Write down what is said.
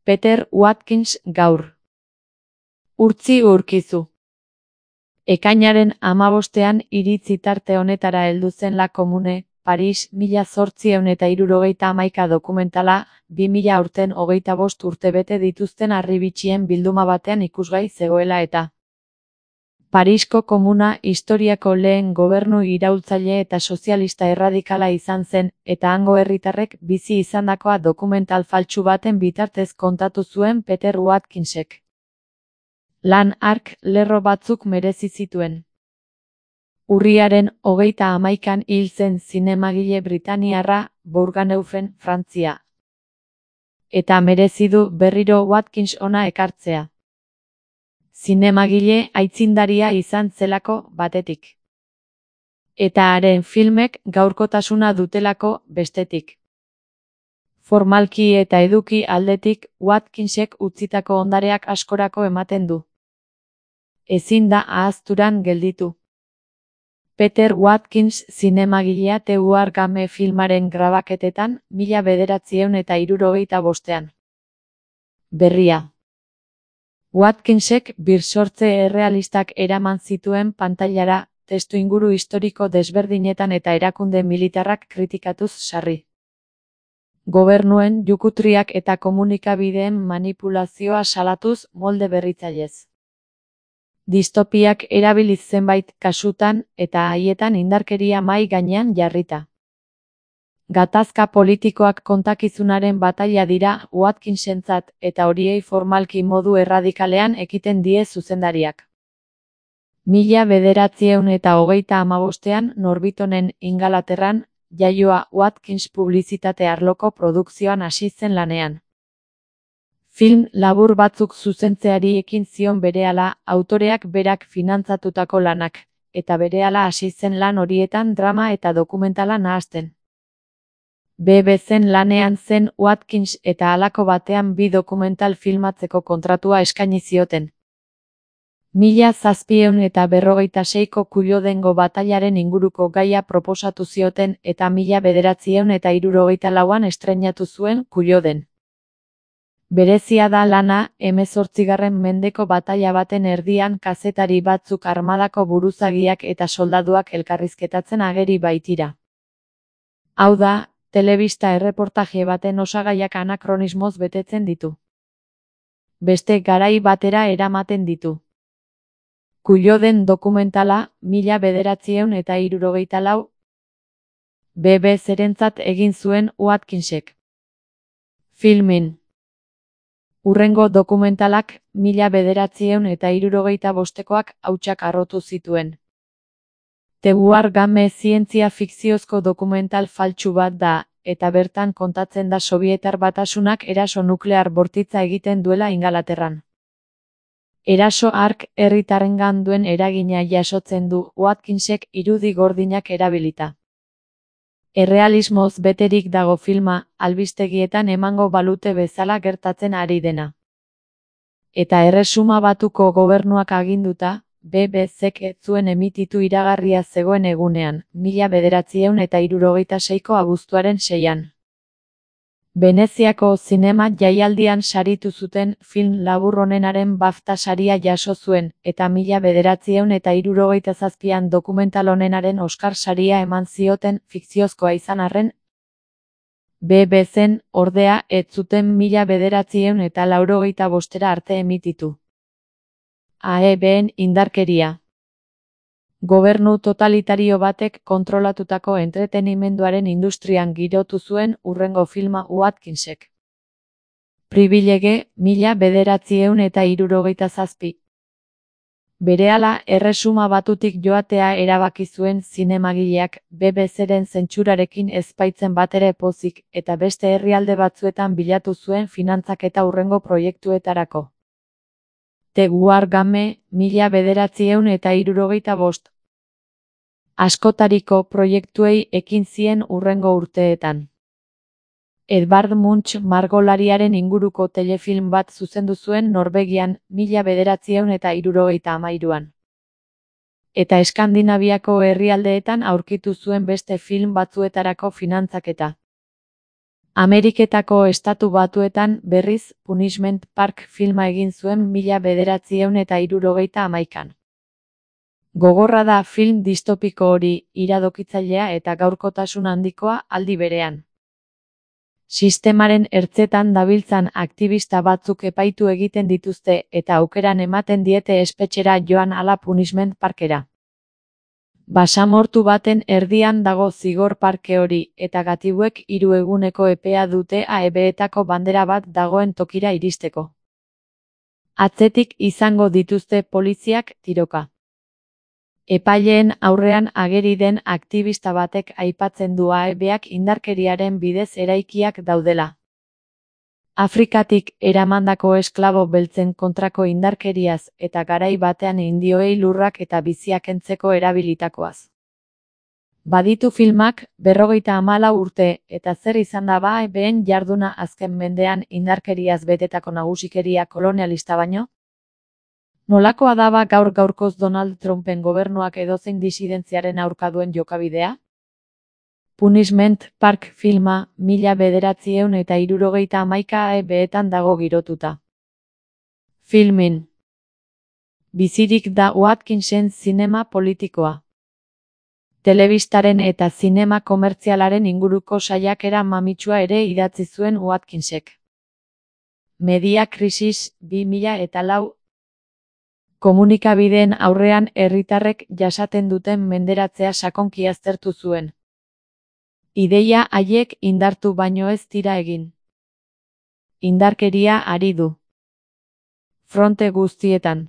Peter Watkins gaur. Urtzi urkizu. Ekainaren 15ean iritzi tarte honetara heldu zen La Commune, Paris, 1871 dokumentala, 2000 aurten 25 urte bete dituzten harribitxien bilduma batean ikusgai zegoela eta. Parisko komuna historiako lehen gobernu iraultzaile eta sozialista erradikala izan zen, eta hango herritarrek bizi izandakoa dokumental faltsu baten bitartez kontatu zuen Peter Watkinsek. Lan hark lerro batzuk merezi zituen. Urriaren 31an hil zen zinemagile britaniarra, Bourganeufen, Frantzia. Eta merezi du berriro Watkins hona ekartzea. Zinemagile aitzindaria izan zelako batetik. Eta haren filmek gaurkotasuna dutelako bestetik. Formalki eta eduki aldetik Watkinsek utzitako ondareak askorako ematen du. Ezin da ahazturan gelditu. Peter Watkins zinemagilea The War Game filmaren grabaketetan 1975ean. Berria. Watkinsek birsortze errealistak eraman zituen pantailara, testuinguru historiko desberdinetan eta erakunde militarrak kritikatuz sarri. Gobernuen jukutriak eta komunikabideen manipulazioa salatuz molde berritzailez. Distopiak erabiliz zenbait kasutan eta haietan indarkeria mahai gainean jarrita. Gatazka politikoak kontakizunaren bataila dira Watkinsentzat eta horiei formalki modu erradikalean ekiten die zuzendariak. 1935ean Norbitonen Ingalaterran, jaioa Watkins publizitate arloko produkzioan hasi zen lanean. Film labur batzuk zuzentzeari ekin zion berehala autoreak berak finantzatutako lanak, eta berehala hasi zen lan horietan drama eta dokumentala nahasten. BBC-en lanean zen Watkins eta halako batean bi dokumental filmatzeko kontratua eskaini zioten. 1756ko Cullodengo batailaren inguruko gaia proposatu zioten eta 1964an estreinatu zuen Culloden. Berezia da lana, 18. mendeko bataila baten erdian kazetari batzuk armadako buruzagiak eta soldaduak elkarrizketatzen ageri baitira. Hau da, telebista erreportaje baten osagaiak anakronismoz betetzen ditu. Beste garai batera eramaten ditu. Culloden dokumentala, 1964. BBC-rentzat egin zuen Watkinsek. Filmin. Hurrengo dokumentalak, 1965koak hautsak harrotu zituen. The War Game zientzia fikziozko dokumental faltsu bat da, eta bertan kontatzen da Sobietar Batasunak eraso nuklear bortitza egiten duela Ingalaterran. Eraso hark herritarrengan duen eragina jasotzen du Watkinsek irudi gordinak erabilita. Errealismoz beterik dago filma, albistegietan emango balute bezala gertatzen ari dena. Eta Erresuma Batuko gobernuak aginduta, BBC-k ez zuen emititu iragarria zegoen egunean, 1966ko abuztuaren 6an. Veneziako zinema jaialdian saritu zuten film labur honenaren BAFTA saria jaso zuen, eta 1967an dokumental honenaren Oscar saria eman zioten fikziozkoa izan arren. BBC-n, ordea, ez zuten 1985era arte emititu. AEB-en indarkeria. Gobernu totalitario batek kontrolatutako entretenimenduaren industrian girotu zuen hurrengo filma Watkinsek. Pribilege, 1967. Berehala Erresuma Batutik joatea erabaki zuen zinemagileak BBC-ren zentsurarekin ez baitzen batere pozik eta beste herrialde batzuetan bilatu zuen finantzaketa hurrengo proiektuetarako. The War Game, 1975. Askotariko proiektuei ekin zien hurrengo urteetan. Edvard Munch margolariaren inguruko telefilm bat zuzendu zuen Norvegian, 1973an. Eta Eskandinaviako herrialdeetan aurkitu zuen beste film batzuetarako finantzaketa. Ameriketako Estatu Batuetan berriz Punishment Park filma egin zuen 1971an. Gogorra da film distopiko hori, iradokitzailea eta gaurkotasun handikoa aldi berean. Sistemaren ertzetan dabiltzan aktivista batzuk epaitu egiten dituzte eta aukeran ematen diete espetxera joan ala Punishment Parkera. Basamortu baten erdian dago zigor parke hori, eta gatibuek 3 eguneko epea dute AEB-etako bandera bat dagoen tokira iristeko. Atzetik izango dituzte poliziak tiroka. Epaileen aurrean ageri den aktivista batek aipatzen du AEB-ak indarkeriaren bidez eraikiak daudela. Afrikatik eramandako esklabo beltzen kontrako indarkeriaz eta garai batean indioei lurrak eta biziak kentzeko erabilitakoaz. Baditu filmak 54 urte eta zer izan da AEB-en jarduna azken mendean indarkeriaz betetako nagusikeria kolonialista baino? Nolakoa da gaur-gaurkoz Donald Trumpen gobernuak edozein disidentziaren aurka duen jokabidea? Punishment Park filma 1971 AEB-etan dago girotuta. Filmin. Bizirik da Watkinsen zinema politikoa. Telebistaren eta zinema komertzialaren inguruko saiakera mamitsua ere idatzi zuen Watkinsek. Media Crisis 2004. Komunikabideen aurrean herritarrek jasaten duten menderatzea sakonki aztertu zuen. Ideia haiek indartu baino ez dira egin. Indarkeria ari du. Fronte guztietan.